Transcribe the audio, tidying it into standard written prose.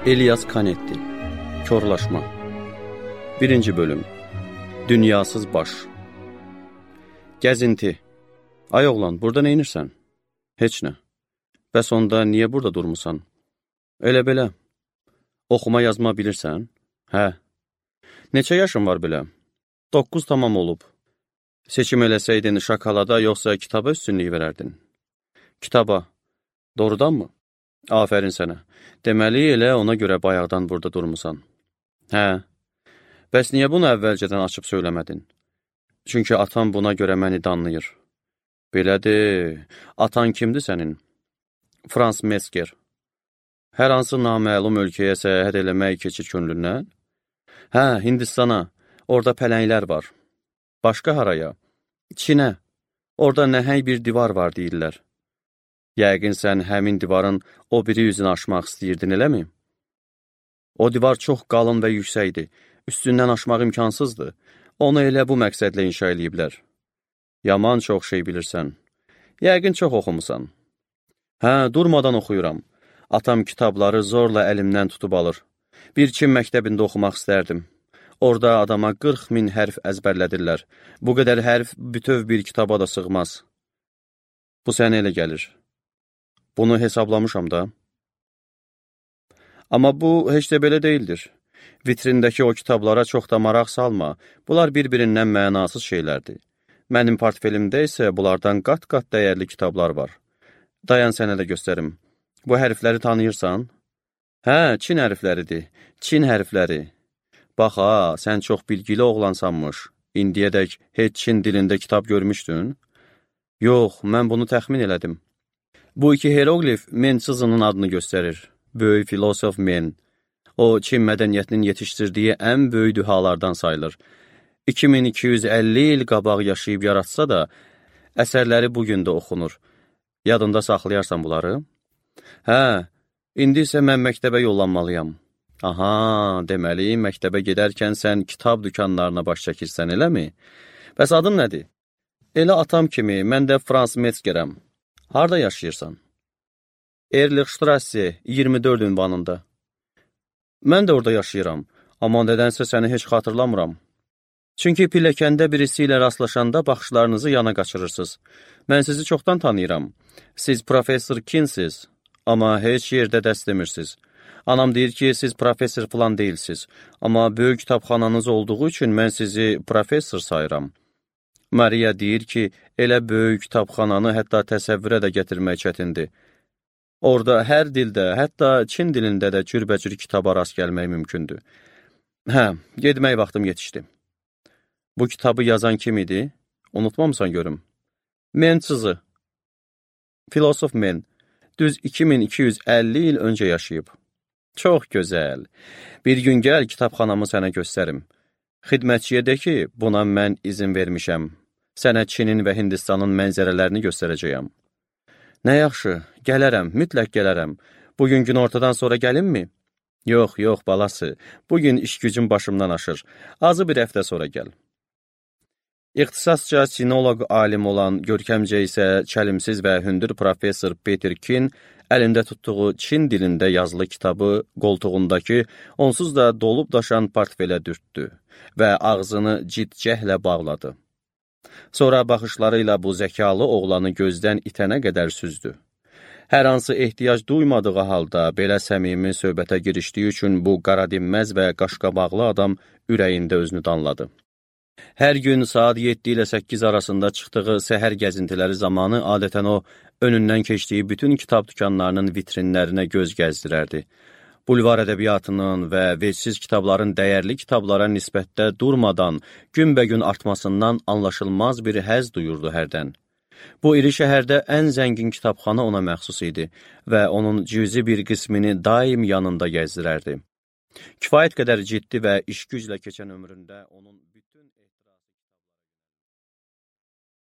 İlyas Canetti Korlaşma 1. bölüm Dünyasız baş Gəzinti. Ay oğlan, burada neynirsən? Heç nə. Bəs onda niyə burada durmusan? Elə belə. Oxuma yazma bilirsən? Hə. Neçə yaşın var belə? 9 tamam olub. Seçim eləsəydin şokolada yoxsa kitaba üstünlük verərdin? Kitaba. Doğrudanmı? Afərin sənə. Deməli, elə ona görə bayaqdan burada durmusan. Hə. Bəs niyə bunu əvvəlcədən açıb söyləmədin? Çünki atan buna görə məni danlayır. Belədir. Atan kimdir sənin? Frans Mesker. Hər hansı naməlum ölkəyə səyahət eləmək keçir könlündən? Hə, Hindistana. Orada pələnglər var. Başqa haraya? Çinə. Orada nəhəng bir divar var deyirlər. Yəqin sən həmin divarın o biri yüzünü aşmaq istəyirdin, eləmi? O divar çox qalın və yüksəkdir. Üstündən aşmaq imkansızdır. Onu elə bu məqsədlə inşa eləyiblər. Yaman çox şey bilirsən. Yəqin çox oxumusan. Hə, durmadan oxuyuram. Atam kitabları zorla əlimdən tutub alır. Bir Çin məktəbində oxumaq istərdim. Orada adama 40 min hərf əzbərlədirlər. Bu qədər hərf bütöv bir kitaba da sığmaz. Bu sənə elə gəlir. Bunu hesablamışam da. Amma bu heç də belə deyildir. Vitrindəki o kitablara çox da maraq salma. Bunlar bir-birindən mənasız şeylərdir. Mənim portfelimdə isə bunlardan qat-qat dəyərli kitablar var. Dayan sənə də göstərim. Bu hərfləri tanıyırsan? Hə, Çin hərfləridir. Çin hərfləri. Bax ha, sən çox bilgili oğlansanmış. İndiyədək heç Çin dilində kitab görmüşdün? Yox, mən bunu təxmin elədim. Bu iki hieroglif Men sızının adını göstərir. Böyük filosof Men. O, Çin mədəniyyətinin yetişdirdiyi ən böyük dühalardan sayılır. 2250 il qabaq yaşayıb yaratsa da, əsərləri bugün də oxunur. Yadında saxlayarsan bunları? Hə, indi isə mən məktəbə yollanmalıyam. Aha, deməli, məktəbə gedərkən sən kitab dükanlarına baş çəkirsən, eləmi? Bəs adın nədir? Elə atam kimi, mən də Frans Metzgerəm. Harada yaşayırsan? Erlichstrasse 24 ünvanında. Mən də orada yaşayıram, amma nədənsə səni heç xatırlamıram. Çünki pilləkəndə birisi ilə rastlaşanda baxışlarınızı yana qaçırırsınız. Mən sizi çoxdan tanıyıram. Siz professor Kinsiz, amma heç yerdə dərs demirsiniz. Anam deyir ki, siz professor falan deyilsiz, amma böyük kitabxananız olduğu üçün mən sizi professor sayıram. Maria deyir ki, elə böyük kitabxananı hətta təsəvvürə də gətirmək çətindir. Orada hər dildə, hətta Çin dilində də cürbəcür kitaba rast gəlmək mümkündür. Hə, getmək vaxtım yetişdi. Bu kitabı yazan kim idi? Unutmamısan görüm. Men sızı. Filosof Men. Düz 2250 il öncə yaşayıb. Çox gözəl. Bir gün gəl kitabxanamı sənə göstərim. Xidmətçiyə de ki, buna mən izin vermişəm. Sənə Çinin və Hindistanın mənzərələrini göstərəcəyəm. Nə yaxşı, gələrəm, mütləq gələrəm. Bugün gün ortadan sonra gəlinmi? Yox, yox, balası. Bugün iş gücüm başımdan aşır. Azı bir həftə sonra gəl. İxtisasca sinoloq alim olan, görkəmcə isə çəlimsiz və hündür professor Peter Kin əlində tutduğu Çin dilində yazılı kitabı qoltuğundakı, onsuz da dolub daşan portfelə dürtdü və ağzını cidcəhlə bağladı. Sonra baxışları ilə bu zəkalı oğlanı gözdən itənə qədər süzdü. Hər hansı ehtiyac duymadığı halda belə səmimi söhbətə girişdiyi üçün bu qaradinməz və qaşqabaqlı adam ürəyində özünü danladı. Hər gün saat 7 ilə 8 arasında çıxdığı səhər gəzintiləri zamanı adətən o, önündən keçdiyi bütün kitab dükanlarının vitrinlərinə göz gəzdirərdi. Bulvar ədəbiyyatının və vecsiz kitabların dəyərli kitablara nisbətdə durmadan, günbəgün artmasından anlaşılmaz bir həzz duyurdu hərdən. Bu iri şəhərdə ən zəngin kitabxana ona məxsus idi və onun cüzi bir qismini daim yanında gəzdirərdi. Kifayət qədər ciddi və iş güclə keçən ömründə onun